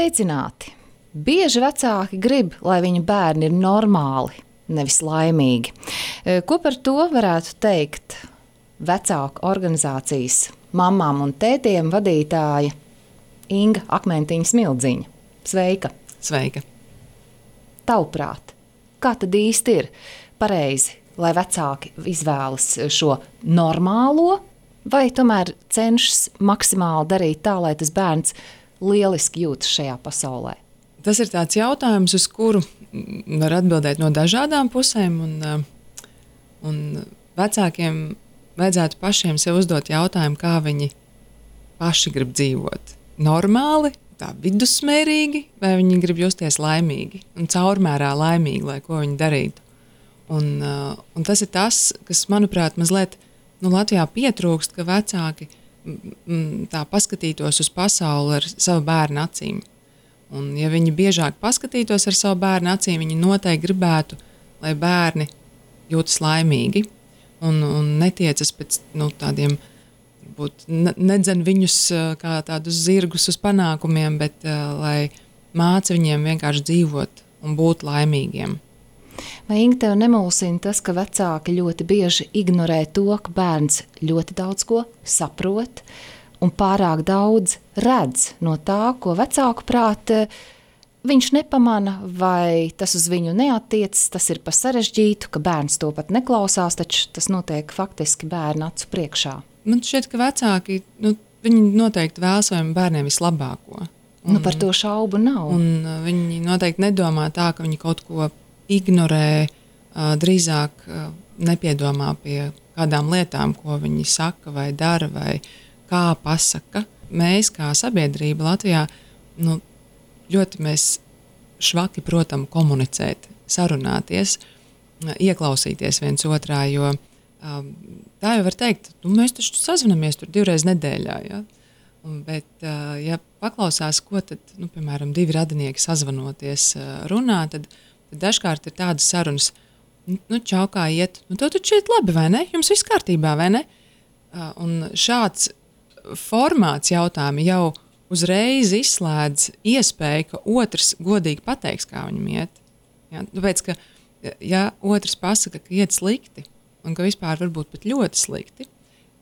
Sveicināti! Bieži vecāki grib, lai viņu bērni ir normāli, nevis laimīgi. Ko par to varētu teikt vecāku organizācijas mammām un tētiem vadītāja Inga Akmentiņa Smildziņa? Sveika! Sveika! Tavuprāt, kā tad īsti ir pareizi, lai vecāki izvēlas šo normālo, vai tomēr cenšas maksimāli darīt tā, lai tas bērns lieliski jūtas šajā pasaulē? Tas ir tāds jautājums, uz kuru var atbildēt no dažādām pusēm, un vecākiem vajadzētu pašiem sev uzdot jautājumu, kā viņi paši grib dzīvot. Normāli, tā vidusmērīgi, vai viņi grib justies laimīgi un caurmērā laimīgi, lai ko viņi darītu. Un tas ir tas, kas, manuprāt, mazliet Latvijā pietrūkst, ka vecāki tā paskatītos uz pasauli ar savu bērnu acīm. Un, ja viņi biežāk paskatītos ar savu bērnu acīm, viņi noteikti gribētu, lai bērni jūtas laimīgi un netiecas pēc tādiem, varbūt nedzen viņus kā tādus zirgus uz panākumiem, bet lai māca viņiem vienkārši dzīvot un būt laimīgiem. Vai, Inga, tev nemulsina tas, ka vecāki ļoti bieži ignorē to, ka bērns ļoti daudz ko saprot un pārāk daudz redz no tā, ko vecāku prāt viņš nepamana, vai tas uz viņu neattiecas, tas ir pa sarežģītu, ka bērns to pat neklausās, taču tas notiek faktiski bērna acu priekšā? Man šķiet, ka vecāki, viņi noteikti vēlas saviem bērniem vislabāko. Par to šaubu nav. Un viņi noteikti nedomā tā, ka viņi kaut ko ignorē, drīzāk nepiedomā pie kādām lietām, ko viņi saka vai dara vai kā pasaka. Mēs kā sabiedrība Latvijā ļoti mēs švaki protam komunicēt, sarunāties, ieklausīties viens otrā, jo tā jau var teikt, mēs taču sazvanamies tur 2 reizes nedēļā, ja? Bet, ja paklausās, ko tad, piemēram, 2 radinieki sazvanoties runā, tad dažkārt ir tādas sarunas, čau, kā iet, tev taču iet labi, vai ne? Jums viss kārtībā, vai ne? Un šāds formāts jautājumi jau uzreiz izslēdz iespēju, ka otrs godīgi pateiks, kā viņam iet. Ja? Tāpēc, ka ja otrs pasaka, ka iet slikti, un ka vispār varbūt pat ļoti slikti,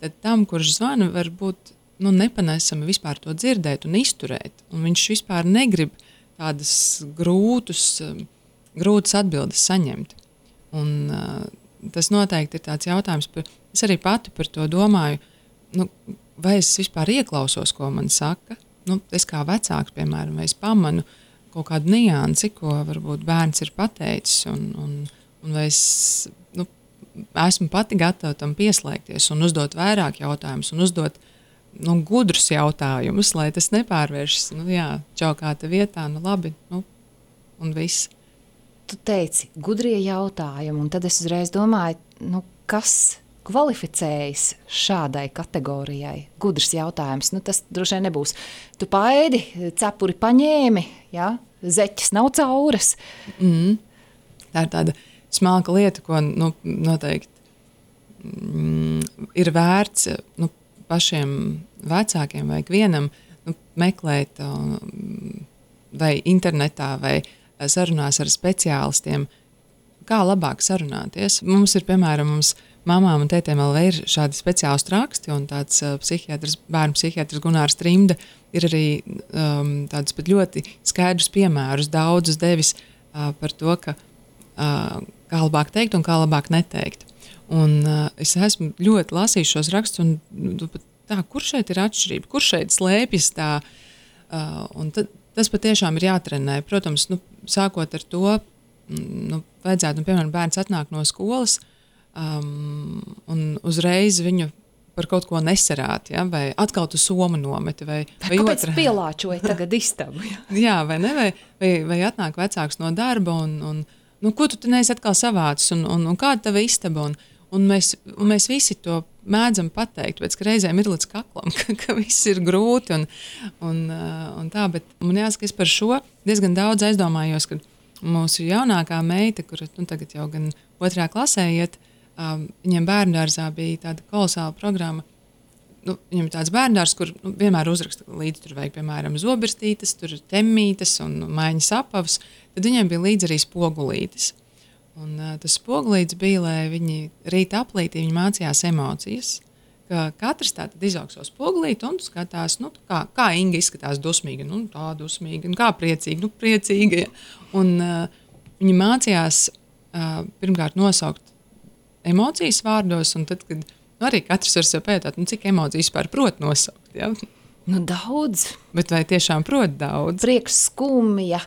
tad tam, kurš zvana, varbūt nepanesami vispār to dzirdēt un izturēt. Un viņš vispār negrib tādas grūtas atbildes saņemt. Un tas noteikti ir tāds jautājums, es arī pati par to domāju, vai es vispār ieklausos, ko man saka. Es kā vecāks, piemēram, vai es pamanu kaut kādu niansi, ko varbūt bērns ir pateicis, un vai es esmu pati gatava tam pieslēgties un uzdot vairāk jautājumus un uzdot gudrus jautājumus, lai tas nepārvēršas, čau, kā te vietā, labi, un viss. Tu teici, gudrie jautājumi, un tad es uzreiz domāju, kas kvalificējas šādai kategorijai? Gudrs jautājums, tas droši vien nebūs. Tu paēdi, cepuri paņēmi, ja? Zeķes nav cauras. Tā ir tāda smalka lieta, ko noteikti ir vērts pašiem vecākiem vai ikvienam meklēt vai internetā vai sarunās ar speciālistiem, kā labāk sarunāties. Mums ir, piemēram, mamām un tētiem LV ir šādi speciālistu raksti, un tāds bērnu psihiatrs Gunārs Trimda ir arī tādus pat ļoti skaidrus piemērus, daudzus devis par to, kā labāk teikt un kā labāk neteikt. Un es esmu ļoti lasījis šos rakstus, un kur šeit ir atšķirība, kur šeit slēpjas tā, un tas patiešām ir jātrenē. Protams, sākot ar to, vajadzētu, piemēram, bērns atnāk no skolas un uzreiz viņu par kaut ko nesarāt, ja? Vai atkal tu somu nometi, vai kāpēc pielāčoja tagad istabu? Jā, vai ne, vai atnāk vecāks no darba, un ko tu neesi atkal savācis, un kāda tava istaba, un mēs visi to mēdzam pateikt, pēc ka reizēm ir līdz kaklam, ka viss ir grūti un tā, bet man jāsaka, es par šo diezgan daudz aizdomājos, ka mūsu jaunākā meita, kura tagad jau gan 2. klasē iet, viņiem bērndārzā bija tāda kolosāla programma viņam ir tāds bērndārs, kur vienmēr uzraksta līdzi, tur vajag, piemēram, zobirstītes, tur ir temmītes un maiņas apavs, tad viņiem bija līdzi arī spogulītes. Un tas spogulītis bija, lai viņi rīta aplītī, viņi mācījās emocijas, ka katrs tātad izaug savu spogulīti un skatās, kā Inga izskatās dusmīga, tā dusmīga, un kā priecīga, priecīga. Ja. Un viņi mācījās pirmkārt nosaukt emocijas vārdos, un tad, kad arī katrs var sev pētāt, cik emocijas vispār prot nosaukt. Ja? Daudz. Bet vai tiešām prot daudz? Prieks, skumja,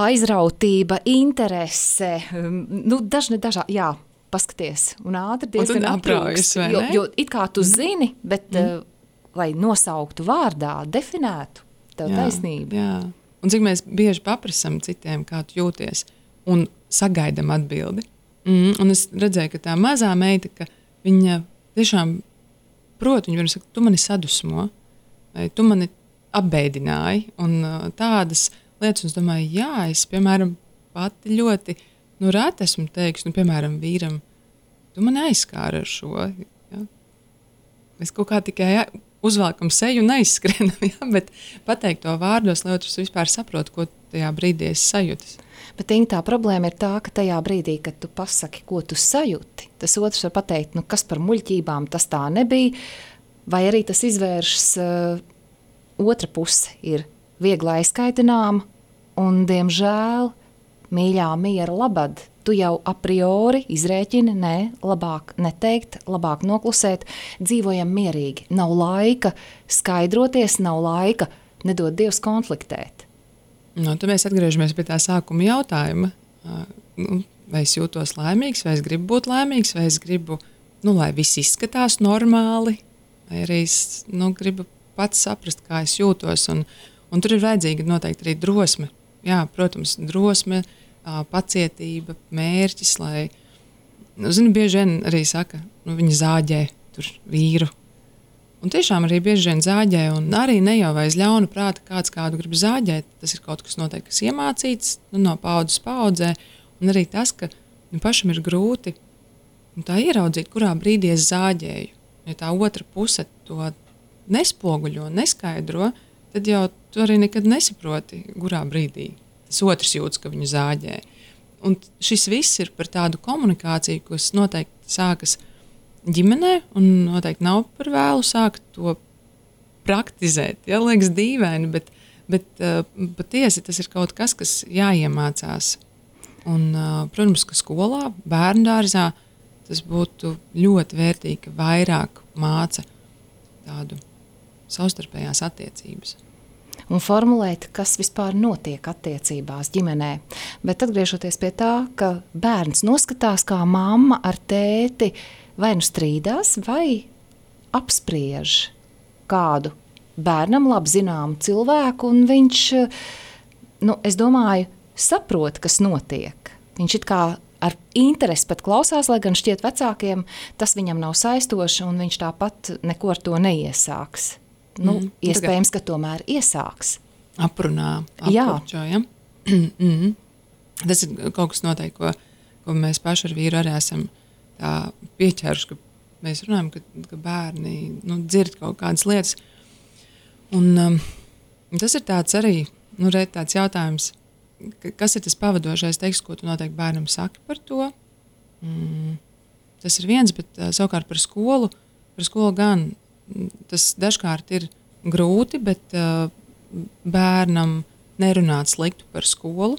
aizrautība, interese, dažādi, jā. Paskaties, un ātri diezgan apraujas, vai ne? Jo it kā tu zini, bet lai nosauktu vārdā, definētu, tev taisnība. Jā. Un cik mēs bieži paprasam citiem, kā tu jūties, un sagaidam atbildi. Un es redzēju, ka tā mazā meita, ka viņa tiešām prot, viņa saka, tu mani sadusmo, vai tu mani apbēdināji, un tādas lietas, un es domāju, jā, es, piemēram, pati ļoti rēt esmu teiks, piemēram, vīram, tu mani aizskāri ar šo. Ja? Mēs kaut kā tikai uzvelkam seju un aizskrienam, ja? Bet pateikt to vārdos, lai otrs vispār saprot, ko tajā brīdī es sajūtas. Bet Inga, tā problēma ir tā, ka tajā brīdī, kad tu pasaki, ko tu sajūti, tas otrs var pateikt, kas par muļķībām tas tā nebija, vai arī tas izvēršas otra puse ir viegli aizkaitināma, un, diemžēl, mīļā miera labad, tu jau a priori izrēķini, labāk neteikt, labāk noklusēt, dzīvojam mierīgi, nav laika skaidroties, nav laika, nedod Dievs konfliktēt. Tad mēs atgriežamies pie tā sākuma jautājuma, vai es jūtos laimīgs, vai es gribu būt laimīgs, vai es gribu, lai viss izskatās normāli, vai arī es gribu pats saprast, kā es jūtos, un tur ir vajadzīga noteikti arī drosme. Jā, protams, drosme, pacietība, mērķis, lai, bieži vien arī saka, viņi zāģē tur vīru. Un tiešām arī bieži vien zāģē, un arī ne jau aiz ļauna prāta kāds kādu grib zāģēt, tas ir kaut kas noteikti, kas iemācīts, no paudzes paudzē, un arī tas, ka pašam ir grūti tā ieraudzīt, kurā brīdī es zāģēju. Ja tā otra puse to nespoguļo, neskaidro, tad jau tu arī nekad nesaproti, kurā brīdī tas otrs jūtas, ka viņu zāģē. Un šis viss ir par tādu komunikāciju, kas noteikti sākas ģimenē, un noteikti nav par vēlu sākt to praktizēt. Ja, liekas dīvaini, bet patiesi tas ir kaut kas, kas jāiemācās. Un, protams, ka skolā, bērndārzā tas būtu ļoti vērtīgi, ka vairāk māca tādu savstarpējās attiecības. Un formulēt, kas vispār notiek attiecībās ģimenē. Bet atgriežoties pie tā, ka bērns noskatās, kā mamma ar tēti vai nu strīdās, vai apspriež kādu bērnam labi zināmu cilvēku, un viņš, es domāju, saprot, kas notiek. Viņš it kā ar interesi pat klausās, lai gan šķiet vecākiem, tas viņam nav saistoši, un viņš tāpat neko ar to neiesāks. Iespējams, ka tomēr iesāks. Aprunā, apkurčo, ja? Tas ir kaut kas noteikti, ko mēs paši ar vīru arī esam tā pieķēruši, ka mēs runājam, ka bērni dzird kaut kādas lietas. Un tas ir tāds arī, tāds jautājums, kas ir tas pavadošais teksts, ko tu noteikti bērnam saki par to. Tas ir viens, bet savukārt par skolu gan. Tas dažkārt ir grūti, bet bērnam nerunāt sliktu par skolu,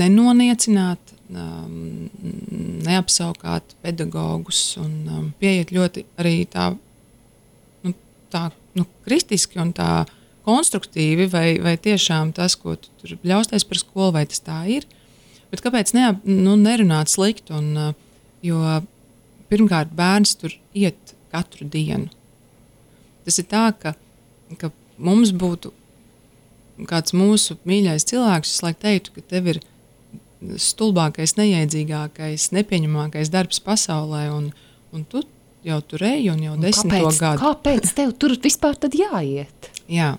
nenoniecināt, neapsaukāt pedagogus un pieiet ļoti arī tā kristiski un tā konstruktīvi, vai tiešām tas, ko tu tur bļausties par skolu, vai tas tā ir. Bet kāpēc nerunāt sliktu? Jo pirmkārt, bērns tur iet katru dienu. Tas ir tā, ka mums būtu kāds mūsu mīļais cilvēks, es teiktu, ka tev ir stulbākais, nejēdzīgākais, nepieņemamākais darbs pasaulē, un tu jau tur ej, un jau 10. gadu. Kāpēc tev tur vispār tad jāiet? Jā,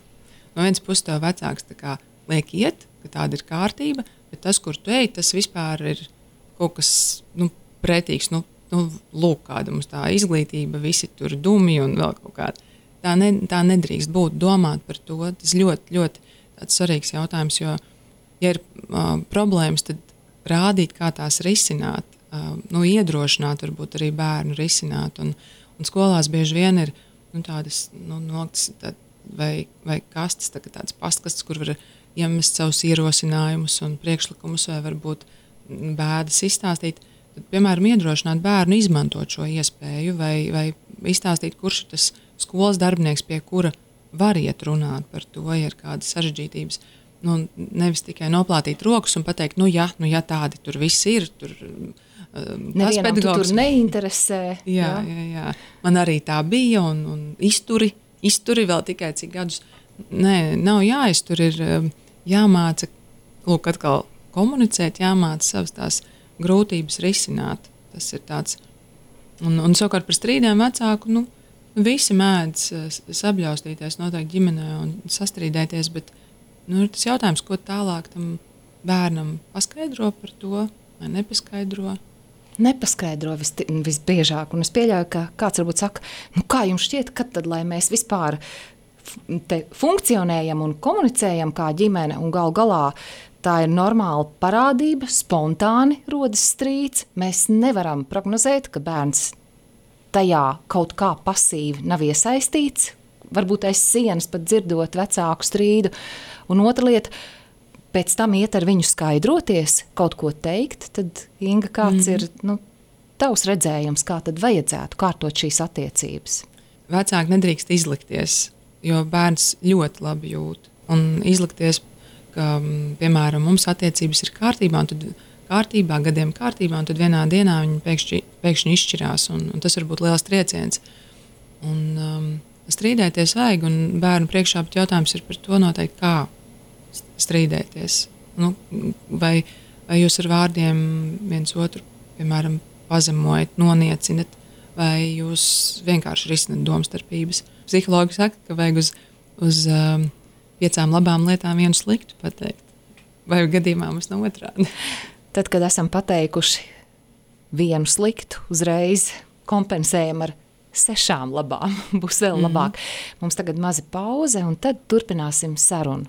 no vienas puses tev vecāks tā kā liek iet, ka tāda ir kārtība, bet tas, kur tu ej, tas vispār ir kaut kas pretīgs, lūk, kāda mums tā izglītība, visi tur dumi un vēl kaut kāda. Tā nedrīkst būt, domāt par to. Tas ļoti, ļoti tāds svarīgs jautājums, jo, ja ir problēmas, tad rādīt, kā tās risināt, iedrošināt varbūt arī bērnu risināt. Un skolās bieži vien ir tādas noktas vai kastes, tādas pastkastes, kur var iemest savus ierosinājumus un priekšlikumus vai varbūt bēdas izstāstīt. Tad, piemēram, iedrošināt bērnu izmantot šo iespēju vai izstāstīt, kurš ir tas skolas darbinieks, pie kura var iet runāt par to, ja ir kādas sarežģītības. Nevis tikai noplātīt rokas un pateikt, ja tādi tur viss ir, tur nevienam tu tur neinteresē. Jā. Man arī tā bija un izturi vēl tikai cik gadus. Nē, nav jāiztur, ir jāmāca, lūk, atkal komunicēt, jāmāca savas tās grūtības risināt. Tas ir tāds. Un savukārt par strīdiem vecāku, visi mēdz sabļaustīties noteikti ģimenē un sastrīdēties, bet ir tas jautājums, ko tālāk tam bērnam paskaidro par to vai nepaskaidro. Nepaskaidro visbiežāk, un es pieļauju, ka kāds varbūt saka, kā jums šķiet, kad tad, lai mēs vispār te funkcionējam un komunicējam kā ģimene, un gal galā tā ir normāla parādība, spontāni rodas strīds, mēs nevaram prognozēt, ka bērns tajā kaut kā pasīvi nav iesaistīts, varbūt aiz sienas pat dzirdot vecāku strīdu, un otra lieta, pēc tam iet ar viņu skaidroties, kaut ko teikt, tad, Inga, kāds ir tavs redzējums, kā tad vajadzētu kārtot šīs attiecības? Vecāki nedrīkst izlikties, jo bērns ļoti labi jūt. Un izlikties, ka, piemēram, mums attiecības ir kārtībā, un tad gadiem kārtībā, un tad vienā dienā viņi pēkšņi izšķirās, un tas var būt liels trieciens. Un strīdēties vajag, un bērnu priekšā pat jautājums ir par to noteikti, kā strīdēties. Vai jūs ar vārdiem viens otru, piemēram, pazemojat, noniecinat, vai jūs vienkārši risinat domstarpības. Psihologi saka, ka vajag uz 5 labām lietām vienu sliktu pateikt. Vai gadījumā mums nav otrādi? Tad, kad esam pateikuši vienu sliktu, uzreiz kompensējam ar 6 labām. Būs vēl labāk. Mums tagad maza pauze, un tad turpināsim sarunu.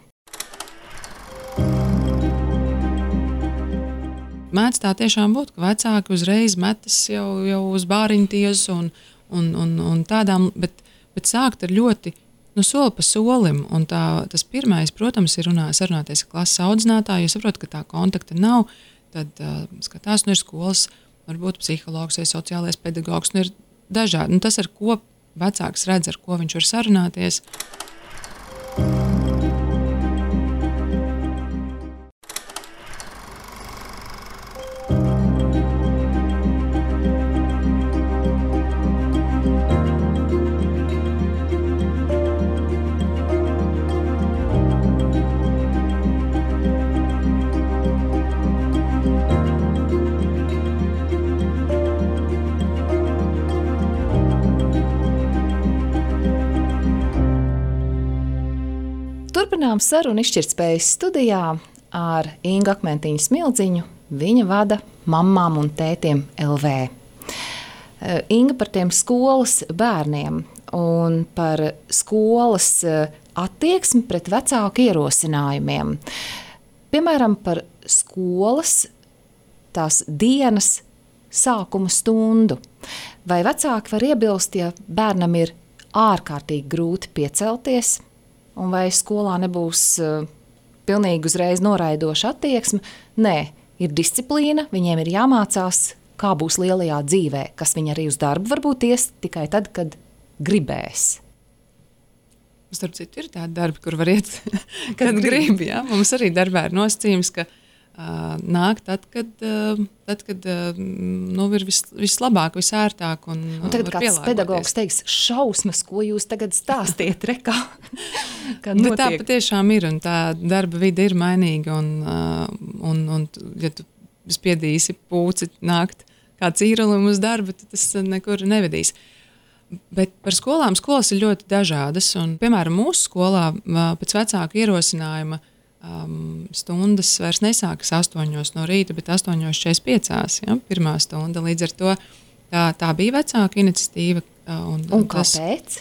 Mēdz tā tiešām būt, ka vecāki uzreiz metas jau uz bāriņtiesu un tādām, bet sākt ar ļoti soli pa solim. Un tas pirmais, protams, ir sarunāties ar klases audzinātāju, jo saprot, ka tā kontakta nav, tad skatās, ir skolas, varbūt psihologs vai sociālais pedagogs, ir dažādi. Tas, ar ko vecāks redz, ar ko viņš var sarunāties. Turpinām sarunu izšķirtspējas studijā ar Ingu Akmentiņu Smildziņu. Viņa vada Mammām un tētiem LV. Inga, par tiem skolas bērniem un par skolas attieksmi pret vecāku ierosinājumiem. Piemēram, par skolas tās dienas sākuma stundu. Vai vecāki var iebilst, ja bērnam ir ārkārtīgi grūti piecelties, un vai skolā nebūs pilnīgi uzreiz noraidoša attieksme? Nē, ir disciplīna, viņiem ir jāmācās, kā būs lielajā dzīvē, kas viņi arī uz darbu varbūt ies tikai tad, kad gribēs. Starp citu, ir tādi darbi, kur var iet, kad grib. Ja? Mums arī darbā ir nosacījums, ka nāk tad, kad ir vislabāk, visērtāk. Un tagad kāds pedagogs teiks, šausmas, ko jūs tagad stāstiet, rekā? Tā patiešām ir, un tā darba vide ir mainīga, un ja tu spiedīsi pūci nākt kā cīrulim uz darbu, tad tas nekur nevedīs. Bet par skolām, skolas ir ļoti dažādas, un, piemēram, mūsu skolā pēc vecāku ierosinājuma stundas vairs nesākas 8 no rīta, bet 8:45, ja, pirmā stunda. Līdz ar to Tā bija vecāka iniciatīva. Un kāpēc?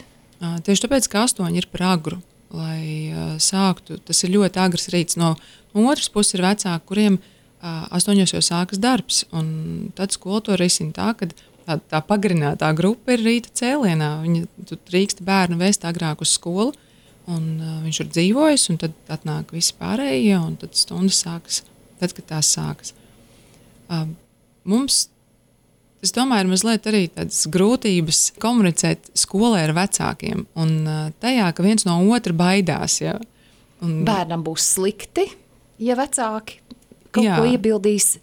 Tieši tāpēc, ka 8 ir par agru, lai sāktu. Tas ir ļoti agrs rīts. No otras puses ir vecāki, kuriem 8 jau sākas darbs. Un tad skola to risina tā, ka tā pagarinātā grupa ir rīta cēlienā. Tu drīksti bērnu vēst agrāk uz skolu, un viņš ir dzīvojis, un tad atnāk visi pārējie, un tad stundas sākas, tad, kad tās sākas. Mums, es domāju, ir mazliet arī tādas grūtības komunicēt skolē ar vecākiem, un tajā, ka viens no otra baidās. Ja? Bērnam būs slikti, ja vecāki kaut ko iebildīs,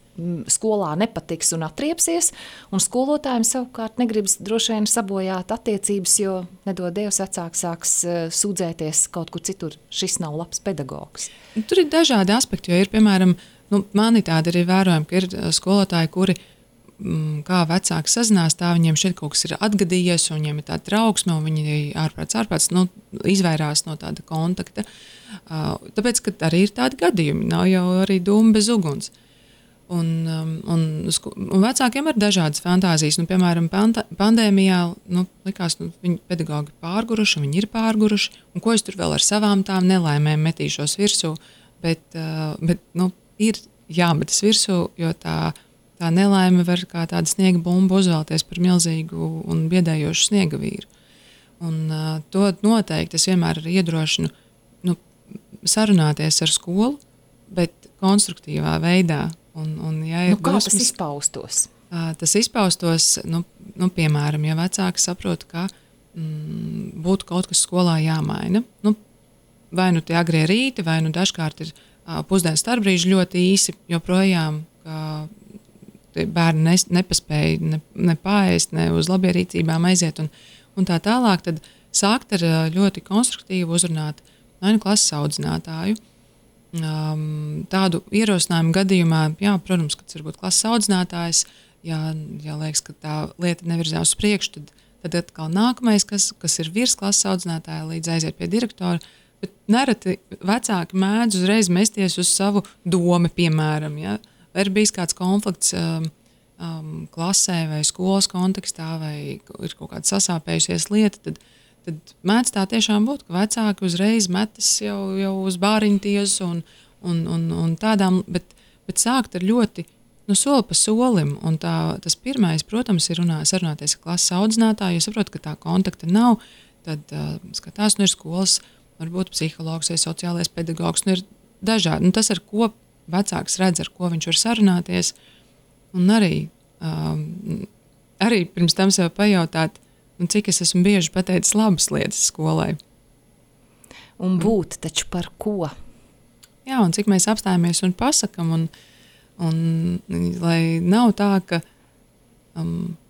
skolā nepatiks un atriepsies, un skolotājiem savukārt negribas droši vien sabojāt attiecības, jo nedod Dievs vecāks sāks sūdzēties kaut kur citur, šis nav labs pedagogs. Tur ir dažādi aspekti, jo ir, piemēram, mani tādi arī vērojami, ka ir skolotāji, kuri kā vecāki sazinās, tā viņiem šeit kaut kas ir atgadījies, un viņiem ir tāda trauksme, un viņi ārprāts izvairās no tāda kontakta. Tāpēc, ka arī ir tādi gadījumi, nav jau arī dūma bez uguns. Un vecākiem ir dažādas fantāzijas. Piemēram, pandēmijā likās, viņi pedagogi pārguruši, viņi ir pārguruši, un ko es tur vēl ar savām tām nelaimēm metīšos virsū, bet ir jāmetas virsū, jo tā nelaime var kā tāda sniega bumba uzvēlties par milzīgu un biedējošu sniega vīru. Un to noteikti es vienmēr arī iedrošinu sarunāties ar skolu, bet konstruktīvā veidā. Ja kā tas izpaustos? Tas izpaustos, piemēram, ja vecāki saprot, ka būtu kaut kas skolā jāmaina. Vai tie agrie rīti, vai dažkārt ir pusdienas starpbrīži ļoti īsi, joprojām bērni nepaspēja ne paēst, ne uz labierīcībām aiziet un tā tālāk, tad sākt ar ļoti konstruktīvu uzrunāt vai klases audzinātāju. Tādu ierosinājumu gadījumā, protams, kad tas var būt klases audzinātājs, ja liekas, ka tā lieta nevirzās uz priekšu, tad atkal nākamais, kas ir virs klases audzinātāja, līdz aiziet pie direktora. Bet nereti vecāki mēdz uzreiz mesties uz savu domu, piemēram. Ja? Vai ir bijis kāds konflikts klasē vai skolas kontekstā, vai ir kaut kāda sasāpējusies lieta, tad mēdz tā tiešām būt, ka vecāki uzreiz metas jau uz bāriņtiesu un tādām, bet sākt ar ļoti soli pa solim. Un tas pirmais, protams, ir sarunāties ar klases audzinātāju, jo saprot, ka tā kontakta nav, tad skatās, ir skolas, varbūt psihologs vai sociālais pedagogs, ir dažādi. Tas, ar ko vecāks redz, ar ko viņš var sarunāties, un arī pirms tam sev pajautāt, cik es esmu bieži pateicis labas lietas skolai. Un būt taču par ko? Jā, un cik mēs apstājamies un pasakam, un lai nav tā, ka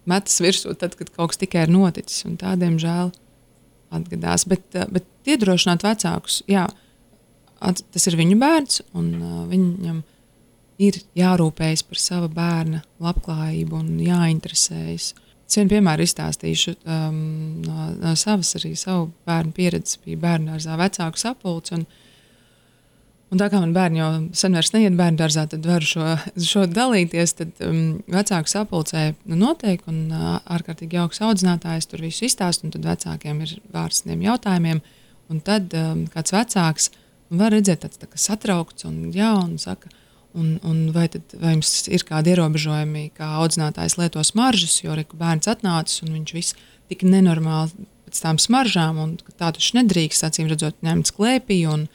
metas virsū tad, kad kaut kas tikai ir noticis, un tādiem žēl atgadās. Bet iedrošināt vecākus, tas ir viņu bērns, un viņam ir jārūpējas par sava bērna labklājību un jāinteresējas. Es vienu piemēru izstāstīšu no savas arī savu bērnu pieredzes. Bija bērnudārzā vecāku sapulce, un tā kā man bērni jau sen vairs neiet bērnudārzā, tad varu šo dalīties. Tad vecāku sapulcē notiek, un ārkārtīgi jauks audzinātājs tur visu izstāst, un tad vecākiem ir vārds tiem jautājumiem. Un tad kāds vecāks var redzēt tāds tā kā satraukts un saka, un vai jums ir kādi ierobežojumi, kā audzinātājs lieto smaržas, jo bērns atnācis un viņš viss tik nenormāli pēc tām smaržām, un tā taču nedrīkst, acīm redzot, ņemt sklēpī un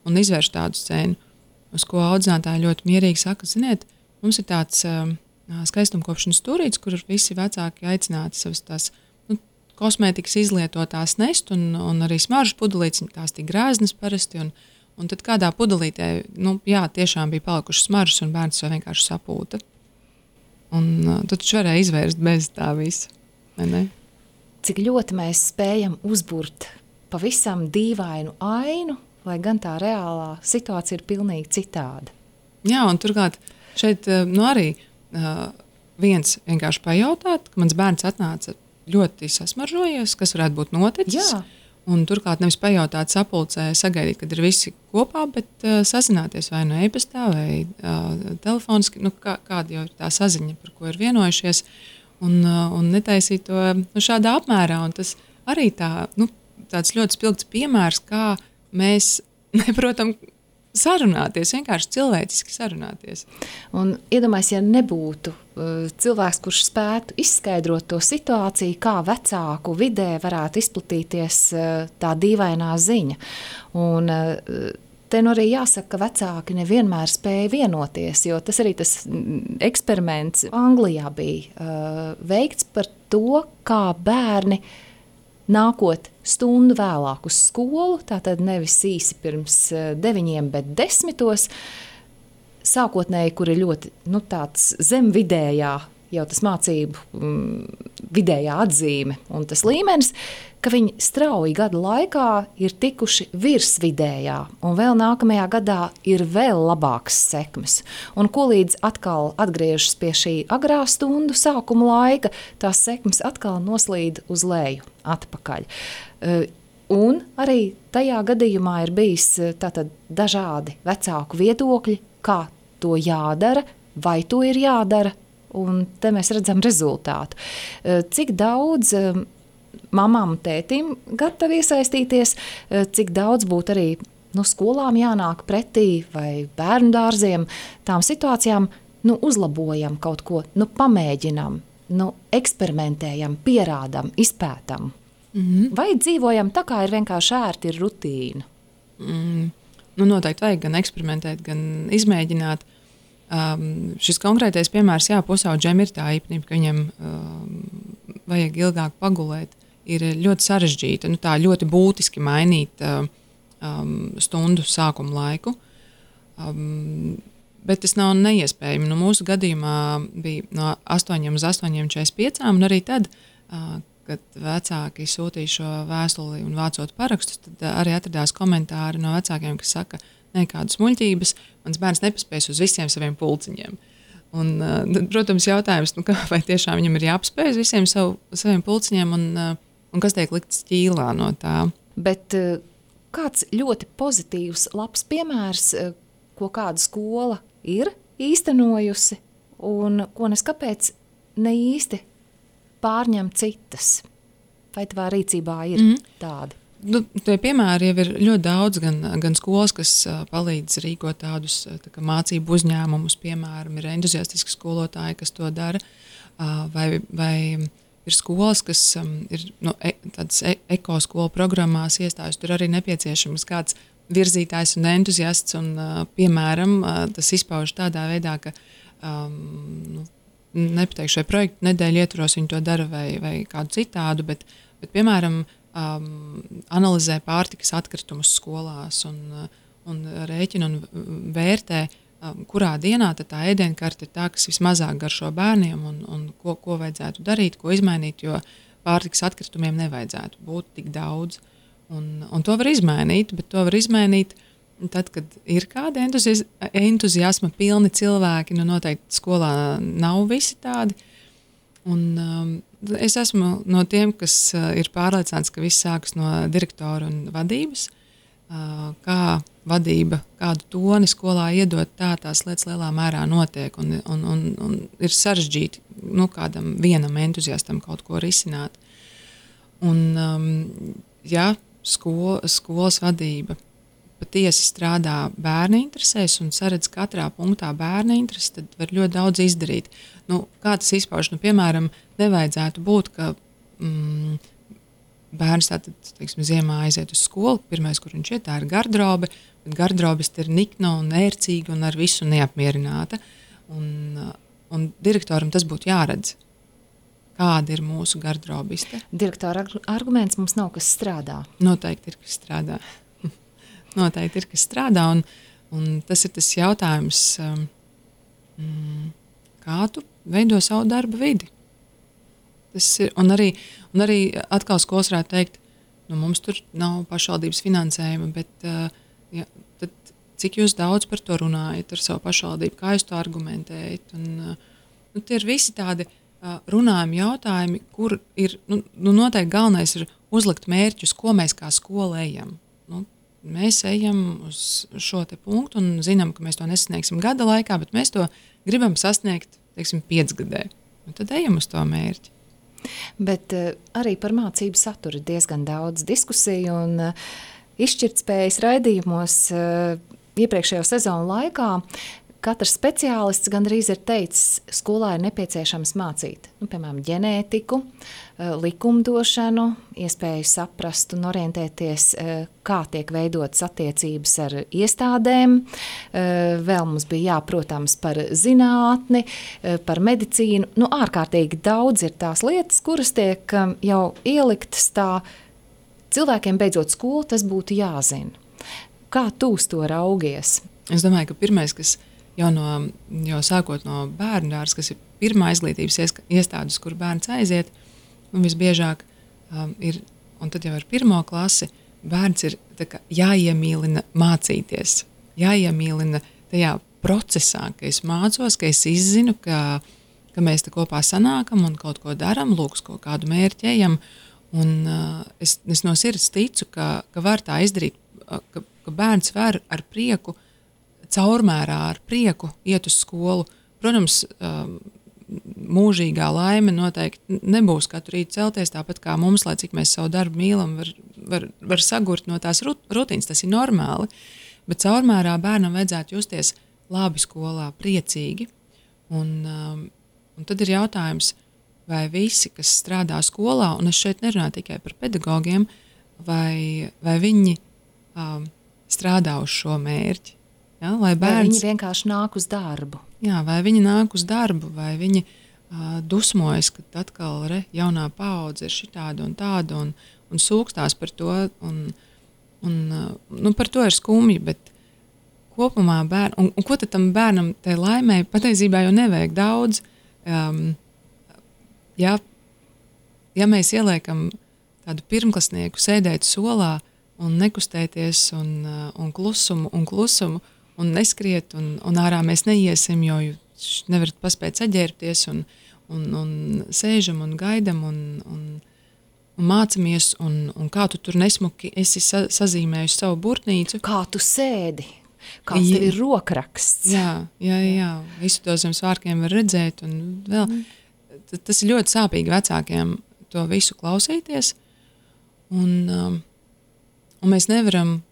izvērš tādu scēnu. Uz ko audzinātāji ļoti mierīgi saka, ziniet, mums ir tāds skaistumkopšanas stūrītis, kur visi vecāki aicināti savas tās kosmētikas izlietotās nest, un arī smaržas pudelītes, tās tik grēznas parasti, un tad kādā pudelītē, tiešām bija palikušas smaržas, un bērns to vienkārši sapūta. Un tad viņš varēja izvērst bez tā visa. Vai ne? Cik ļoti mēs spējam uzburt pavisam dīvainu ainu, lai gan tā reālā situācija ir pilnīgi citāda. Jā, un turklāt šeit arī viens vienkārši pajautāt, ka mans bērns atnāca ļoti sasmaržojies, kas varētu būt noticis. Jā. Un turklāt nevis pajautāt sapulcē, sagaidīt, kad ir visi kopā, bet sazināties vai no e-pastā vai telefoniski, kāda jau ir tā saziņa, par ko ir vienojušies. un netaisīt to šādā apmērā. Un tas arī tāds ļoti spilgts piemērs, kā mēs neprotam sarunāties, vienkārši cilvēciski sarunāties. Un iedomājies, ja nebūtu cilvēks, kurš spētu izskaidrot to situāciju, kā vecāku vidē varētu izplatīties tā dīvainā ziņa. Un te arī jāsaka, ka vecāki nevienmēr spēja vienoties, jo tas arī tas eksperiments Anglijā bija veikts par to, kā bērni nākot stundu vēlāk uz skolu, tātad nevis īsi pirms 9, bet 10, sākotnēji, kur ir ļoti tāds zem vidējā, jau tas mācību vidējā atzīme un tas līmenis, ka viņi strauji gadu laikā ir tikuši virs vidējā, un vēl nākamajā gadā ir vēl labākas sekmes. Un ko līdz atkal atgriežas pie šī agrā stundu sākuma laika, tās sekmes atkal noslīd uz leju, atpakaļ. Un arī tajā gadījumā ir bijis tātad dažādi vecāku viedokļi, kā to jādara, vai to ir jādara, un te mēs redzam rezultātu. Cik daudz mamām un tētim gatavi iesaistīties, cik daudz būtu arī skolām jānāk pretī vai bērnu dārziem, tām situācijām, uzlabojam kaut ko, pamēģinam, eksperimentējam, pierādam, izpētam. Vai dzīvojam tā, kā ir vienkārši ērti, ir rutīna? Noteikti vajag gan eksperimentēt, gan izmēģināt. Šis konkrētais piemērs, pusauģiem ir tā īpatnība, ka viņam vajag ilgāk pagulēt. Ir ļoti sarežģīta, tā ļoti būtiski mainīt stundu sākuma laiku. Bet tas nav neiespējami. Mūsu gadījumā bija no 8 uz 8:45, un arī tad, kad vecāki sūtīja šo vēstuli un vācot parakstus, tad arī atradās komentāri no vecākiem, kas saka, nekādas muļķības, mans bērns nepaspēs uz visiem saviem pulciņiem. Un, protams, jautājums, vai tiešām viņam ir jāapspēj uz visiem saviem pulciņiem, un kas tiek likts ķīlā no tā. Bet kāds ļoti pozitīvs, labs piemērs, ko kāda skola ir īstenojusi, un ko nes kāpēc ne īsti pārņem citas? Vai tavā rīcībā ir tādi? Tie piemēri jau ir ļoti daudz, gan skolas, kas palīdz rīkot tādus mācību uzņēmumus, piemēram, ir entuziastiski skolotāji, kas to dara, vai ir skolas, kas ir tādas ekoskolu programmās iestājas, tur arī nepieciešams kāds virzītājs un entuziasts, un, piemēram, tas izpauž tādā veidā, ka nepateikšu, vai projektu nedēļu ietvaros viņi to dara vai kādu citādu, bet piemēram, analizē pārtikas atkritumus skolās un rēķina un vērtē, kurā dienā tā ēdienkarte ir tā, kas vismazāk garšo bērniem un ko vajadzētu darīt, ko izmainīt, jo pārtikas atkritumiem nevajadzētu būt tik daudz. Un to var izmainīt, bet to var izmainīt tad, kad ir kādi entuziasma pilni cilvēki, noteikti skolā nav visi tādi. Un es esmu no tiem, kas ir pārliecināts, ka viss sākas no direktora un vadības, kā vadība, kādu toni skolā iedot, tās lietas lielā mērā notiek, un ir sarežģīti kādam vienam entuziastam kaut ko risināt. Un, ja skolas vadība patiesi strādā bērna interesēs un saredz katrā punktā bērna intereses, tad var ļoti daudz izdarīt. Kā tas izpauž? Piemēram, nevajadzētu būt, ka bērns ziemā aiziet uz skolu, pirmais, kur viņš iet, tā ir garderobe, bet gardrobes ir nikna un ērcīga un ar visu neapmierināta. Un direktoram tas būtu jāredz. Kāda ir mūsu garderobiste? Direktora arguments mums nav, kas strādā. Noteikti ir, kas strādā. Noteikti ir, kas strādā, un tas ir tas jautājums, kā tu veido savu darba vidi. Tas ir, un arī atkal skolas varētu teikt, mums tur nav pašvaldības finansējuma, bet tad cik jūs daudz par to runājat ar savu pašvaldību, kā jūs to argumentējat. Un tie ir visi tādi runājumi jautājumi, kur ir noteikti galvenais ir uzlikt mērķus, ko mēs kā skola ejam. Mēs ejam uz šo te punktu un zinām, ka mēs to nesasniegsim gada laikā, bet mēs to gribam sasniegt, 5 gadē. Un tad ejam uz to mērķi. Bet arī par mācību saturu diezgan daudz diskusiju un izšķirtspējas raidījumos iepriekšējo sezonu laikā. Katrs speciālists gandrīz ir teicis, skolā ir nepieciešams mācīt, piemēram, ģenētiku, likumdošanu, iespēju saprast un orientēties, kā tiek veidotas attiecības ar iestādēm. Vēl mums bija protams, par zinātni, par medicīnu. Ārkārtīgi daudz ir tās lietas, kuras tiek jau ieliktas tā, cilvēkiem beidzot skolu, tas būtu jāzina. Kā tu uz to raugies? Es domāju, ka pirmais, kas jau sākot no bērndārs, kas ir pirmā izglītības iestādes, kur bērns aiziet, un visbiežāk ir, un tad jau ar 1. klasi, bērns ir jāiemīlina mācīties, jāiemīlina tajā procesā, ka es mācos, ka es izzinu, ka mēs te kopā sanākam un kaut ko daram, lūk, kaut kādu mērķi ejam, un es no sirds ticu, ka var tā izdarīt, ka bērns var ar prieku, caurmērā ar prieku iet uz skolu. Protams, mūžīgā laime noteikti nebūs katru rītu celties, tāpat kā mums, lai cik mēs savu darbu mīlam, var sagurt no tās rutīnas, tas ir normāli, bet caurmērā bērnam vajadzētu justies labi skolā, priecīgi. Un tad ir jautājums, vai visi, kas strādā skolā, un es šeit nerunāju tikai par pedagogiem, vai viņi strādā uz šo mērķi. Ja, vai viņi vienkārši nāk uz darbu? Jā, vai viņi nāk uz darbu, vai viņi dusmojas, ka atkal jaunā paudze ir šitāda un tāda un sūkstās par to, un par to ir skumji, bet kopumā un ko tad tam bērnam tai laimē patiesībā jau nevajag daudz. Ja mēs ieliekam tādu pirmklasnieku sēdēt solā un nekustēties un klusumu, un neskriet, un ārā mēs neiesim, jo nevarat paspēt saģērbties, un sēžam un gaidam, un mācamies, un kā tu tur nesmuki esi sazīmējusi savu burtnīcu. Kā tu sēdi, kāds tev ir rokraksts. Jā, visu to zem svārkiem var redzēt, un vēl, tas ir ļoti sāpīgi vecākiem to visu klausīties, un mēs nevaram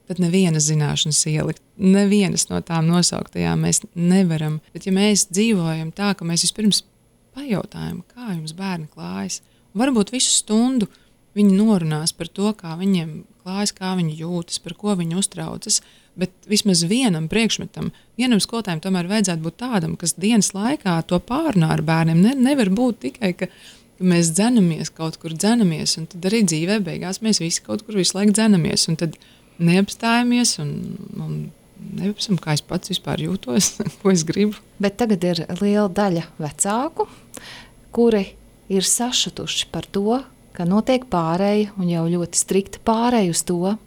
tad nevienas zināšanas ielikt, nevienas no tām nosauktajām mēs nevaram. Bet ja mēs dzīvojam tā, ka mēs vispirms pajautājam, kā jums bērni klājas, un varbūt visu stundu viņi norunās par to, kā viņiem klājas, kā viņi jūtas, par ko viņi uztraucas, bet vismaz vienam priekšmetam, vienam skolotājiem tomēr vajadzētu būt tādam, kas dienas laikā to pārunā ar bērniem. Nevar būt tikai, ka mēs dzenamies, kaut kur dzenamies, un tad arī dzīvē beigās mēs visi kaut kur visu laiku dzenamies, un tad neapstājamies un neapsam, kā es pats vispār jūtos, ko es gribu. Bet tagad ir liela daļa vecāku, kuri ir sašutuši par to, ka notiek pārēja un jau ļoti strikta pārēja uz to,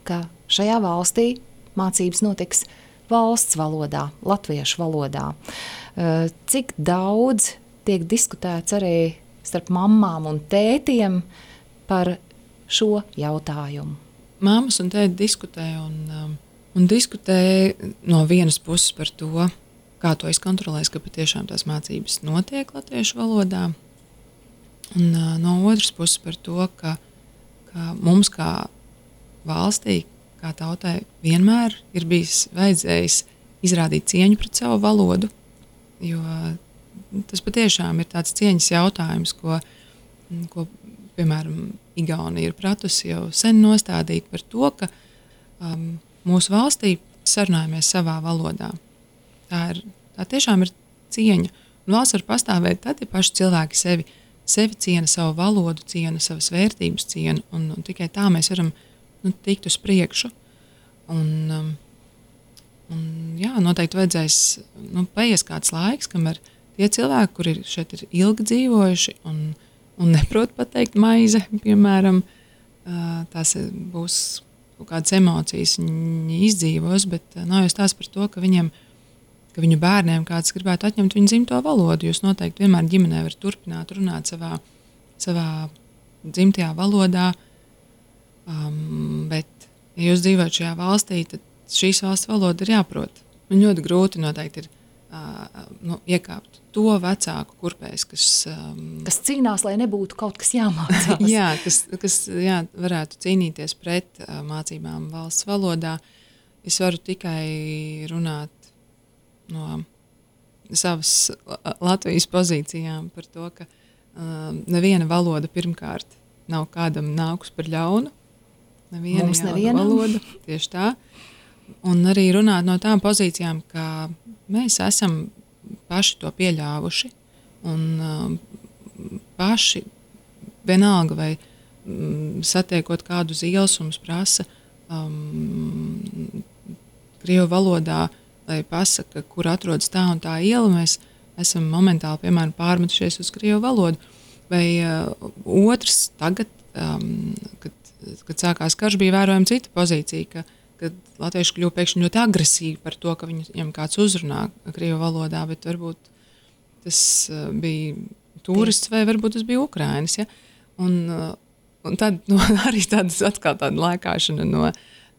ka šajā valstī mācības notiks valsts valodā, latviešu valodā. Cik daudz tiek diskutēts arī starp mammām un tētiem par šo jautājumu? Māmas un tēti diskutē un diskutē no vienas puses par to, kā to izkontrolēs, ka patiešām tās mācības notiek latviešu valodā. Un no otras puses par to, ka mums kā valstī, kā tautai, vienmēr ir bijis vajadzējis izrādīt cieņu pret savu valodu, jo tas patiešām ir tāds cieņas jautājums, ko piemēram, Igaunija ir pratusi jau sen nostādīt par to, ka mūsu valstī sarunājamies savā valodā. Tā tiešām ir cieņa. Un valsts var pastāvēt tad, ja paši cilvēki sevi ciena, savu valodu ciena, savas vērtības ciena, un tikai tā mēs varam tikt uz priekšu. Un noteikti vajadzēs paies kāds laiks, kamēr tie cilvēki, kuri šeit ir ilgi dzīvojuši un neprot pateikt maize, piemēram, tās būs kaut kādas emocijas viņi izdzīvos, bet nav jau stāsts par to, ka viņu bērniem kāds gribētu atņemt viņu dzimto valodu. Jūs noteikti vienmēr ģimenē varat turpināt runāt savā dzimtajā valodā, bet, ja jūs dzīvojat šajā valstī, tad šīs valsts valoda ir jāprot. Un ļoti grūti noteikti ir iekāpt to vecāku kurpēs, kas cīnās, lai nebūtu kaut kas jāmācās. kas varētu cīnīties pret mācībām valsts valodā. Es varu tikai runāt no savas Latvijas pozīcijām par to, ka neviena valoda pirmkārt nav kādam nākus par ļaunu. Neviena valoda, tieši tā. Un arī runāt no tām pozīcijām, ka mēs esam paši to pieļāvuši un paši vienalga vai satiekot kādu uz ielas un mums prasa krievu valodā, lai pasaka, kur atrodas tā un tā iela, mēs esam momentāli, piemēram, pārmetušies uz krievu valodu. Vai otrs tagad, kad sākās karš, bija vērojama cita pozīcija, kad latvieši kļuva pēkšņi ļoti agresīvi par to, ka viņiem kāds uzrunā krievu valodā, bet varbūt tas bija turists vai varbūt tas bija Ukrainis. Ja? Un tad arī atkal tāda lēkāšana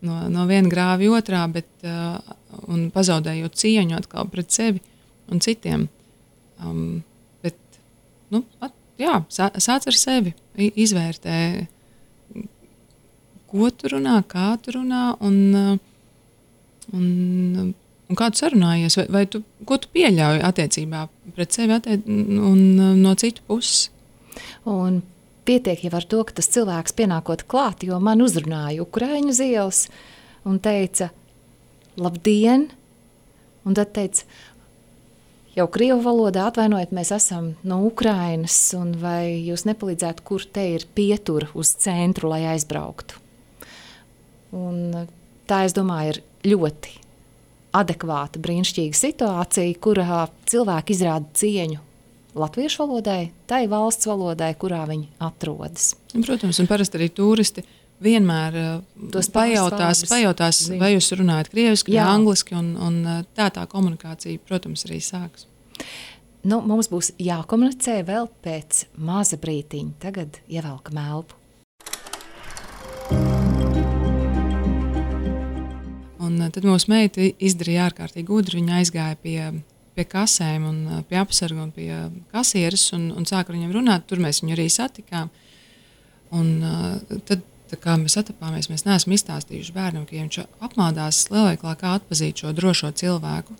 no viena grāvi otrā, un pazaudējot cieņu atkal pret sevi un citiem. Sāc ar sevi, izvērtē, ko tu runā, kā tu runā un kā tu sarunājies, vai ko tu pieļauj attiecībā pret sevi un no citu puses. Un pietiek jau ar to, ka tas cilvēks pienākot klāt, jo man uzrunāja Ukraiņu ielas un teica, labdien, un tad teica, jau krievu valodā atvainojiet, mēs esam no Ukrainas, un vai jūs nepalīdzētu, kur te ir pietura uz centru, lai aizbrauktu. Un tā, es domāju, ir ļoti adekvāta, brīnišķīga situācija, kurā cilvēki izrāda cieņu latviešu valodai, tai valsts valodai, kurā viņi atrodas. Protams, un parasti arī turisti vienmēr pajautās, vai jūs runājat krieviski vai angliski, un tā komunikācija, protams, arī sāks. Mums būs jākomunicē vēl pēc maza brītiņa. Tagad ievelkam elpu. Un tad mūsu meita izdarīja ārkārtīgi gudri. Viņa aizgāja pie kasēm un pie apsarga un pie kasieres un sāka ar viņiem runāt. Tur mēs viņu arī satikām. Un tad, kā mēs atapāmies, mēs neesam izstāstījuši bērnam, ka ja viņš apmādās lielveiklā, kā atpazīt šo drošo cilvēku.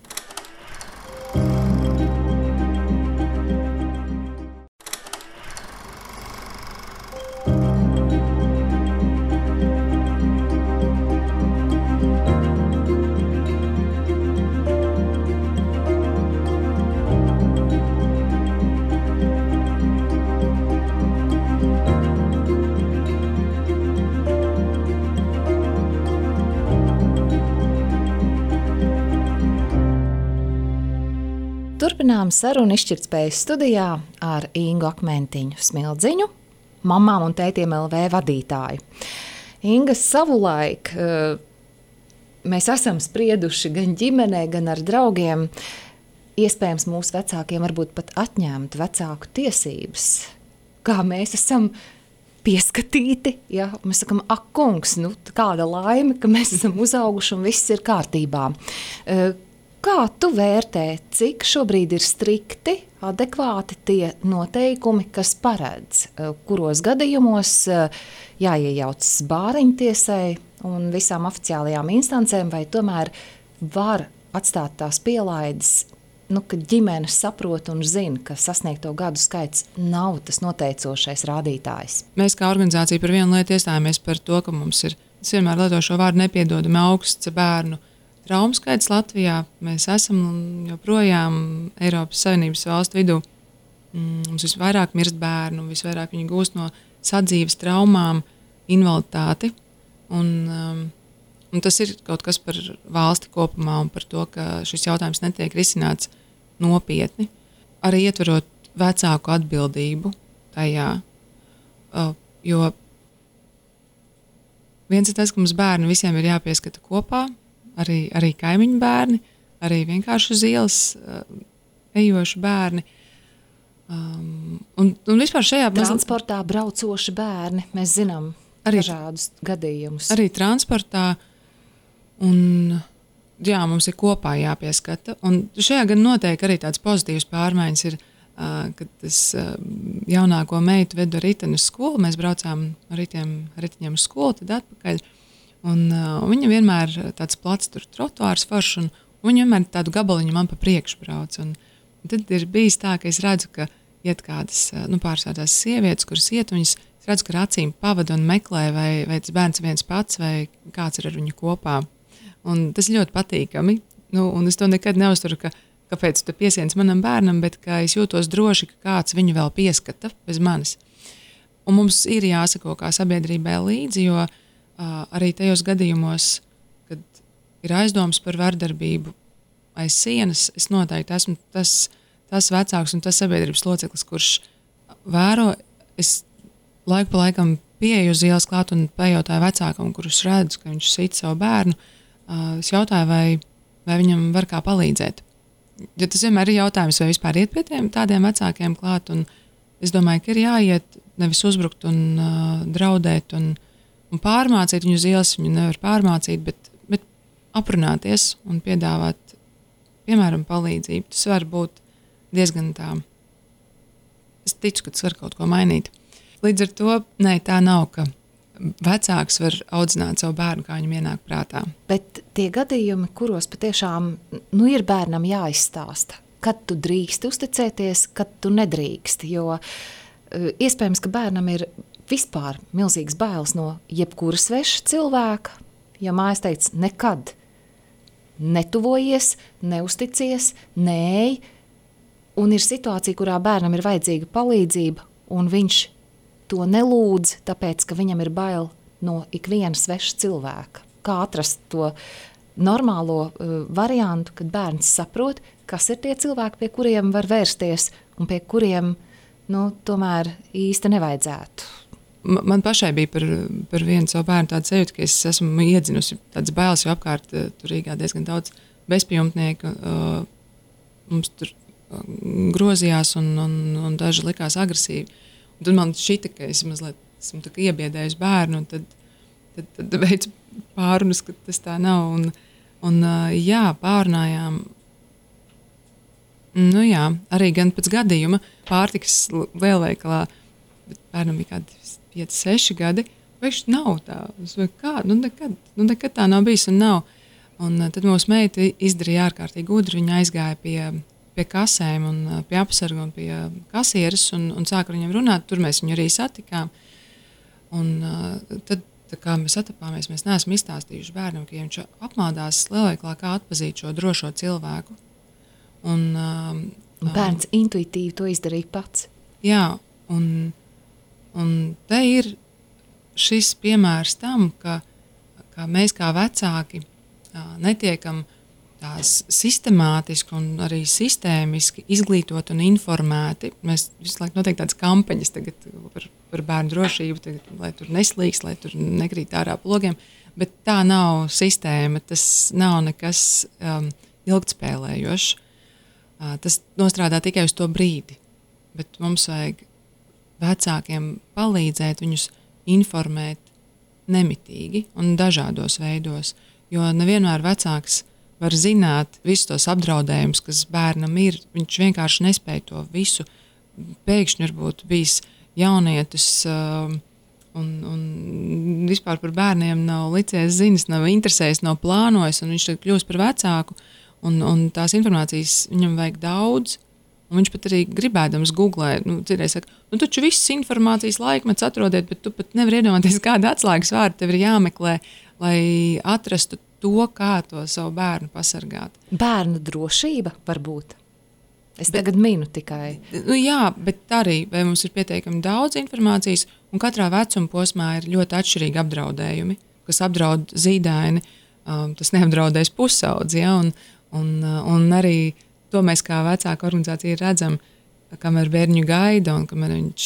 Turpinām sarunu izšķirtspējas studijā ar Ingu Akmentiņu Smildziņu, mamām un tētiem LV vadītāju. Inga, savulaik mēs esam sprieduši gan ģimenē, gan ar draugiem. Iespējams, mūsu vecākiem varbūt pat atņemt vecāku tiesības. Kā mēs esam pieskatīti, ja? Mēs sakam, ak, kungs, kāda laime, ka mēs esam uzauguši un viss ir kārtībā. Kā tu vērtē, cik šobrīd ir strikti, adekvāti tie noteikumi, kas paredz, kuros gadījumos jāiejaucas bāriņtiesai un visām oficiālajām instancēm, vai tomēr var atstāt tās pielaides, kad ģimenes saprot un zina, ka sasniegto gadu skaits nav tas noteicošais rādītājs? Mēs kā organizācija par vienu lietu iestājāmies par to, ka mums ir, es vienmēr lietošu šo vārdu, nepiedodami augsts bērnu traumu skaits Latvijā. Mēs esam joprojām Eiropas Savienības valstu vidū. Mums visvairāk mirst bērnu, visvairāk viņi gūst no sadzīves traumām, invaliditāti. Un tas ir kaut kas par valsti kopumā un par to, ka šis jautājums netiek risināts nopietni. Arī ietverot vecāku atbildību tajā, jo viens ir tas, ka mums bērni visiem ir jāpieskata kopā, arī kaimiņu bērni, arī vienkārši uz ielas ejoši bērni. Un vispār šajā transportā braucoši bērni, mēs zinām dažādus gadījumus. Arī transportā, un jā, mums ir kopā jāpieskata. Un šajā gan noteikti arī tāds pozitīvs pārmaiņas ir, kad es jaunāko meitu vedu riteni uz skolu. Mēs braucām ar ritiņiem uz skolu, tad atpakaļ. Un viņa vienmēr tāds plats tur trotuārs foršs, un viņa vienmēr tādu gabaliņu man pa priekšu brauc. Un tad ir bijis tā, ka es redzu, ka iet kādas, pārsvērtās sievietes, kuras iet, un viņas redzu, ka ar acīm pavada un meklē, vai tas bērns viens pats, vai kāds ir ar viņu kopā. Un tas ļoti patīkami. Un es to nekad neuzturu, kāpēc tu piesiens manam bērnam, bet ka es jūtos droši, ka kāds viņu vēl pieskata bez manis. Un mums ir jāsako kā sabiedrībai līdzi, jo arī tajos gadījumos, kad ir aizdomas par vardarbību aiz sienas, es noteikti esmu tas vecāks un tas sabiedrības loceklis, kurš vēro. Es laiku pa laikam pieeju uz ielas klāt un pajautāju vecākam, kurus redzu, ka viņš sit savu bērnu. Es jautāju, vai viņam var kā palīdzēt. Jo tas vienmēr ir jautājums, vai vispār iet pie tādiem vecākiem klāt. Un es domāju, ka ir jāiet, nevis uzbrukt un draudēt un pārmācīt viņu uz ielas. Viņu nevar pārmācīt, bet aprunāties un piedāvāt, piemēram, palīdzību. Tas var būt diezgan tā. Es ticu, ka tas var kaut ko mainīt. Līdz ar to, tā nav, ka vecāks var audzināt savu bērnu, kā viņam ienāk prātā. Bet tie gadījumi, kuros patiešām ir bērnam jāizstāsta, kad tu drīksti uzticēties, kad tu nedrīksti, jo iespējams, ka bērnam ir vispār milzīgs bailes no jebkura sveša cilvēka, ja mājas teica nekad netuvojies, neusticies, neej, un ir situācija, kurā bērnam ir vajadzīga palīdzība, un viņš to nelūdz, tāpēc, ka viņam ir bail no ikviena sveša cilvēka. Kā atrast to normālo variantu, kad bērns saprot, kas ir tie cilvēki, pie kuriem var vērsties, un pie kuriem, tomēr īsti nevajadzētu. Man pašai bija par vienu savu bērnu tādu sajūtu, ka es esmu iedzinusi tādas bailes, jo apkārt tur Rīgā diezgan daudz bezpajumtnieku. Mums tur grozījās un daži likās agresīvi. Un tad man šķita, ka es mazliet esmu iebiedējusi bērnu, un tad veicu pārunas, ka tas tā nav. Un pārunājām. Arī gan pēc gadījuma pārtikas lielveikalā, bet bērnam bija kādi 5-6 gadi, viņš nav tā. Nekad tā nav bijis un nav. Un tad mūsu meita izdarīja ārkārtīgi gudri. Viņa aizgāja pie kasēm un pie apsarga un pie kasieres un sāka ar viņiem runāt. Tur mēs viņu arī satikām. Un tad, kā mēs atapāmies, mēs neesam izstāstījuši bērnam, ka ja viņš apmaldās lielveikalā, kā atpazīt šo drošo cilvēku. Un bērns intuitīvi to izdarīja pats. Jā, un te ir šis piemērs tam, ka mēs kā vecāki netiekam tās sistemātiski un arī sistēmiski izglītot un informēti. Mēs visu laiku notiek tādas kampaņas tagad par bērnu drošību, tagad, lai tur neslīgs, lai tur nekrīt ārā plogiem, bet tā nav sistēma, tas nav nekas ilgtspēlējošs. Tas nostrādā tikai uz to brīdi, bet mums vajag vecākiem palīdzēt viņus informēt nemitīgi un dažādos veidos, jo nevienmēr vecāks var zināt visus tos apdraudējumus, kas bērnam ir. Viņš vienkārši nespēja to visu. Pēkšņi varbūt bijis jaunietis un vispār par bērniem nav licies ziņas, nav interesējis, nav plānojis, un viņš kļūst par vecāku, un tās informācijas viņam vajag daudz. Un viņš pat arī gribēdams googlē, citreiz saka, taču visas informācijas laikmets atrodiet, bet tu pat nevar iedomāties, kādu atslēgas vārdu tev ir jāmeklē, lai atrastu to, kā to savu bērnu pasargāt. Bērnu drošība varbūt. Tagad minu tikai. Jā, bet arī, vai mums ir pietiekami daudz informācijas, un katrā vecuma posmā ir ļoti atšķirīgi apdraudējumi, kas apdraud zīdaini, tas neapdraudēs pusaudzi, ja, un arī to mēs kā vecāka organizācija redzam, kamēr bērņu gaida un kamēr viņš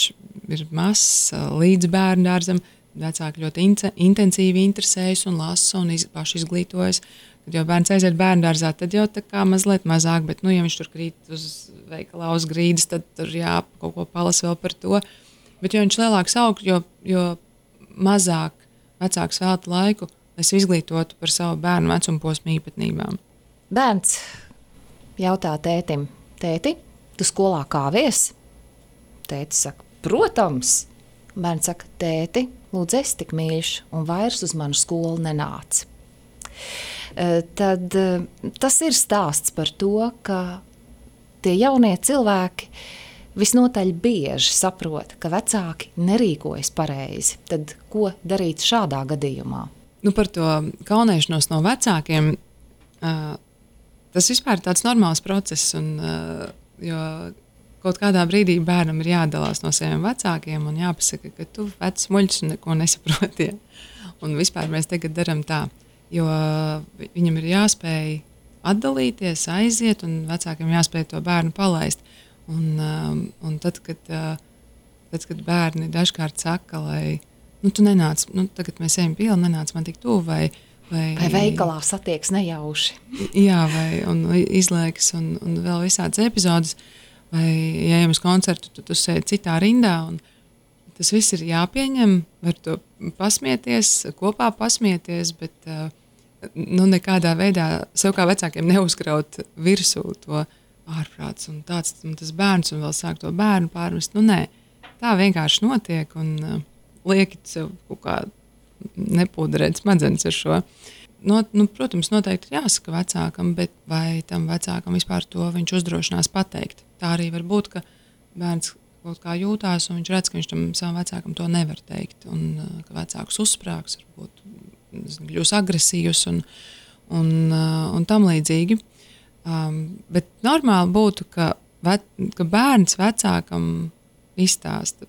ir mazs līdz bērnu dārzam, vecāki ļoti intensīvi interesējas un lasa un paši izglītojas. Kad jau bērns aiziet bērnu dārzā, tad jau tā kā mazliet mazāk, bet ja viņš tur krīt uz veikalā uz grīdas, tad tur kaut ko palas vēl par to. Bet jo viņš lielāks aug, jo mazāk vecāks velta laiku es izglītotu par savu bērnu vecuma posmu īpatnībām. Bērns jautā tētim, tēti, tu skolā kāvies? Tētis saka, protams. Bērns saka, tēti, lūdzu, esi tik mīļš un vairs uz manu skolu nenāc. Tad tas ir stāsts par to, ka tie jaunie cilvēki visnotaļ bieži saprot, ka vecāki nerīkojas pareizi. Tad ko darīt šādā gadījumā? Par to kaunēšanos no vecākiem, tas vispār ir tāds normāls process, jo kaut kādā brīdī bērnam ir jādalās no saviem vecākiem un jāpasaka, ka tu vecs muļķis un neko nesaproti. Un vispār mēs tagad daram tā, jo viņam ir jāspēj atdalīties, aiziet, un vecākiem jāspēj to bērnu palaist. Un tad, kad bērni dažkārt saka, lai tu nenāc, tagad mēs ejam pili, nenāc man tik tuvu, vai veikalā satieks nejauši. Jā, un izliekas, un vēl visādas epizodes, vai ja ejam uz koncertu, tu sēdi citā rindā, un tas viss ir jāpieņem, var to pasmieties, kopā pasmieties, bet nekādā veidā sev kā vecākiem neuzkraut virsū to ārprāts un tāds un tas bērns un vēl sāk to bērnu pārmest. Nē, tā vienkārši notiek un liekit sev kaut kā nepūderēt smadzenes ar šo. Protams, noteikti ir jāsaka vecākam, bet vai tam vecākam vispār to viņš uzdrošinās pateikt? Tā arī var būt, ka bērns kaut kā jūtās un viņš redz, ka viņš tam savam vecākam to nevar teikt un ka vecāks uzsprāgs, varbūt kļūs agresīvs un tam līdzīgi. Bet normāli būtu, ka bērns vecākam izstāsta,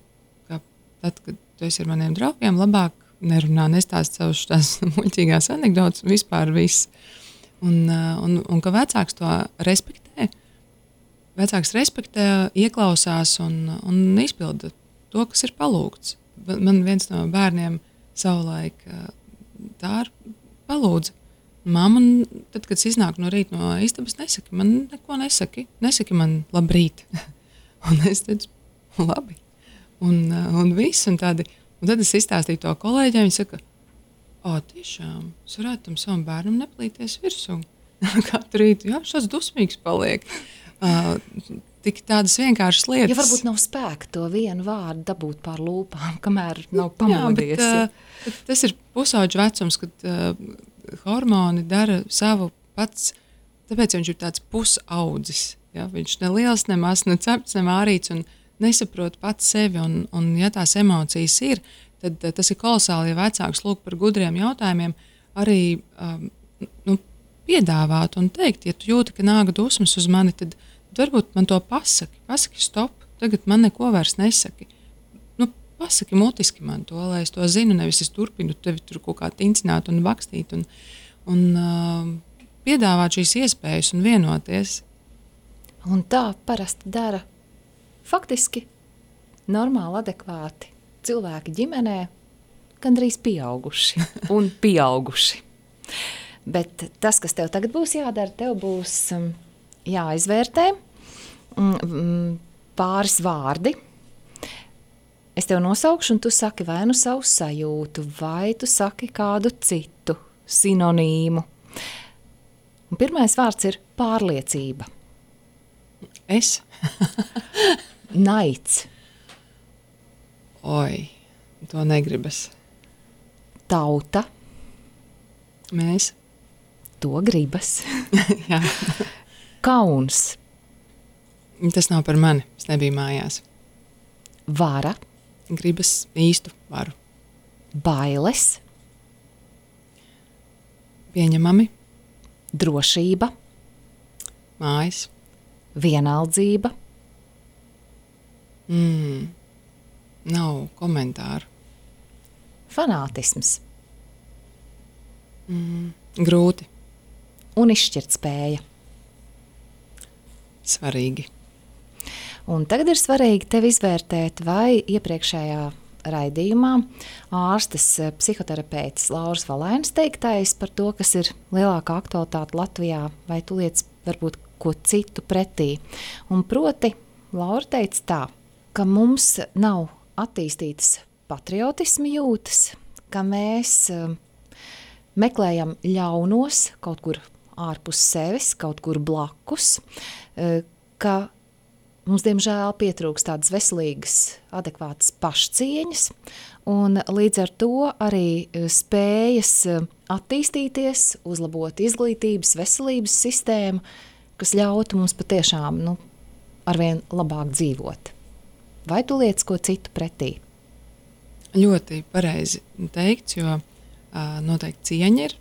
ka tad, kad tu esi ar maniem draugiem, labāk nerunā, nestāst savus tās muļķīgās anekdotas, vispār viss. Un ka vecāks to respektē, ieklausās un izpilda to, kas ir palūgts. Man viens no bērniem savulaik tā palūdza. Mamma, tad, kad es iznāku no rīta no istabas, nesaki man neko, nesaki man labrīt. Un es teicu, labi. Un viss, un tad es izstāstīju to kolēģiem, viņi saka, tiešām, es varētu tam savam bērnam neplīties virsū. Katru rītu, jā, šāds dusmīgs paliek. Tik tādas vienkāršas lietas. Ja varbūt nav spēka to vienu vārdu dabūt pār lūpām, kamēr nav pamodies. Jā, bet tas ir pusauģu vecums, kad hormoni dara savu pats, tāpēc viņš ir tāds pusaudzis. Ja? Viņš ne liels, ne mazs, ne cepts, ne mārīts un nesaprot pats sevi. Un ja tās emocijas ir, tad tas ir kolosāli, ja vecāks lūk par gudriem jautājumiem arī piedāvāt un teikt, ja tu jūti, ka nāk dusmas uz mani, tad varbūt man to pasaki stop, tagad man neko vairs nesaki. Pasaki mutiski man to, lai es to zinu, nevis es turpinu tevi tur kaut kā tincināt un bakstīt un piedāvāt šīs iespējas un vienoties. Un tā parasti dara faktiski normāli, adekvāti cilvēki ģimenē, gandrīz pieauguši un pieauguši. Bet tas, kas tev tagad būs jādara, tev būs jāizvērtē pāris vārdi. Es tev nosaukšu, un tu saki vai nu savu sajūtu, vai tu saki kādu citu sinonīmu. Un pirmais vārds ir pārliecība. Es? Naids. Oi, to negribas. Tauta. Mēs. To gribas. Jā. Kauns. Tas nav par mani, es nebiju mājās. Vara. Gribas īstu varu. Bailes. Pieņemami. Drošība. Mājas. Vienaldzība. Nav komentāru. Fanātisms. Grūti. Un izšķirtspēja. Svarīgi. Un tagad ir svarīgi tev izvērtēt, vai iepriekšējā raidījumā ārstes psihoterapeits Lauras Valainas teiktais par to, kas ir lielākā aktualitāte Latvijā, vai tu liec varbūt ko citu pretī. Un proti, Laura teica tā, ka mums nav attīstītas patriotisma jūtas, ka mēs meklējam ļaunos kaut kur ārpus sevis, kaut kur blakus, ka mums, diemžēl, pietrūkst tādas veselīgas, adekvātas pašcieņas, un līdz ar to arī spējas attīstīties, uzlabot izglītības, veselības sistēmu, kas ļautu mums patiešām arvien labāk dzīvot. Vai tu liec ko citu pretī? Ļoti pareizi teikts, jo noteikti cieņa ir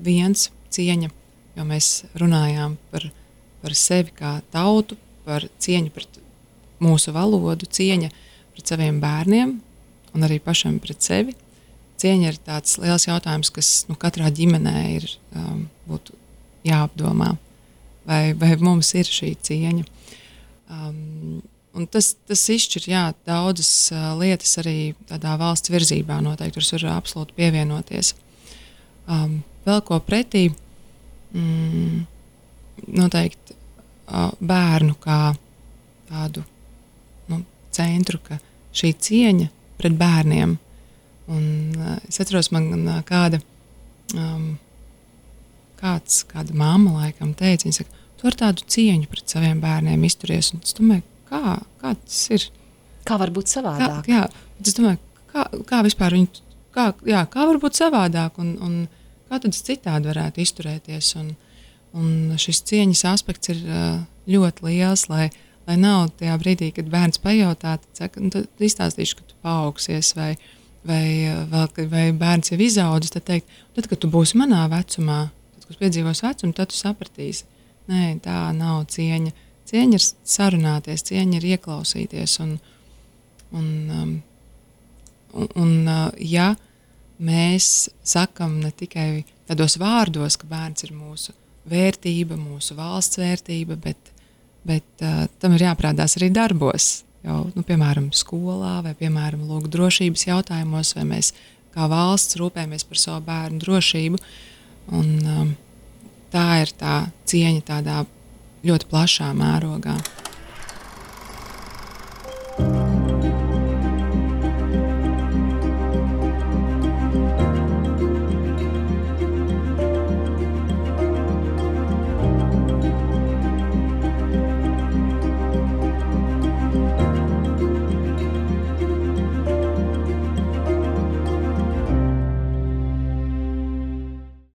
viens cieņa, jo mēs runājām par sevi kā tautu, par cieņu pret mūsu valodu, cieņa pret saviem bērniem un arī pašam pret sevi. Cieņa ir tāds liels jautājums, kas katrā ģimenē ir būtu jāapdomā, vai mums ir šī cieņa. Un tas izšķir daudzas lietas arī tādā valsts virzībā noteikti, kuras var absolūti pievienoties. Vēl ko pretī, noteikti bērnu kā tādu centru, ka šī cieņa pret bērniem. Un es atceros, man kāda mamma laikam teica, viņa saka, tu ar tādu cieņu pret saviem bērniem izturies. Un es domāju, kā tas ir? Kā var būt savādāk? Es domāju, kā vispār viņi, kā var būt savādāk un kā tad es citādi varētu izturēties. Un šis cieņas aspekts ir ļoti liels, lai nav tajā brīdī, kad bērns pajautā, tad izstāstīšu, ka tu paaugsies vai bērns jau izaudzis, tad teikt, tad, kad tu būsi manā vecumā, tad, kad piedzīvos vecumu, tad tu sapratīsi. Nē, tā nav cieņa. Cieņa ir sarunāties, cieņa ir ieklausīties. Ja mēs sakam ne tikai tādos vārdos, ka bērns ir mūsu vērtība, mūsu valsts vērtība, bet tam ir jāprādās arī darbos. Jau, piemēram, skolā vai, piemēram, drošības jautājumos, vai mēs kā valsts rūpējamies par savu bērnu drošību. Un tā ir tā cieņa tādā ļoti plašā mērogā.